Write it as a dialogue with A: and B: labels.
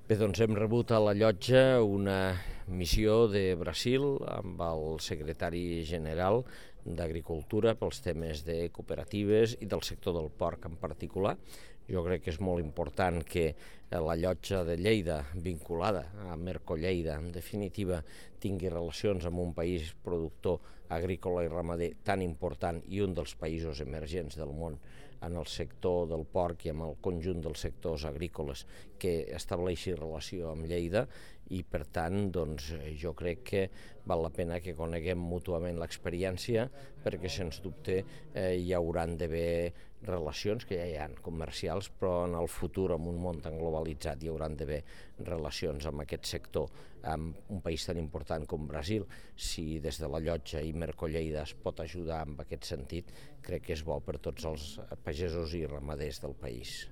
A: Bé, doncs hem rebut a la llotja una missió de Brasil amb el secretari general d'Agricultura pels temes de cooperatives i del sector del porc en particular. Jo crec que és molt important que la llotja de Lleida, vinculada a Merco-Lleida, en definitiva, tingui relacions amb un país productor agrícola i ramader tan important i un dels països emergents del món en el sector del porc i amb el conjunt dels sectors agrícoles, que estableixi relació amb Lleida, i per tant doncs, jo crec que val la pena que coneguem mútuament l'experiència, perquè sens dubte hi hauran d'haver relacions, que ja hi ha comercials, però en el futur, en un món tan globalitzat, hi hauran d'haver relacions amb aquest sector, amb un país tan important com Brasil. Si des de la llotja i Merco-Lleida es pot ajudar en aquest sentit, crec que és bo per tots els pagesos i ramaders del país.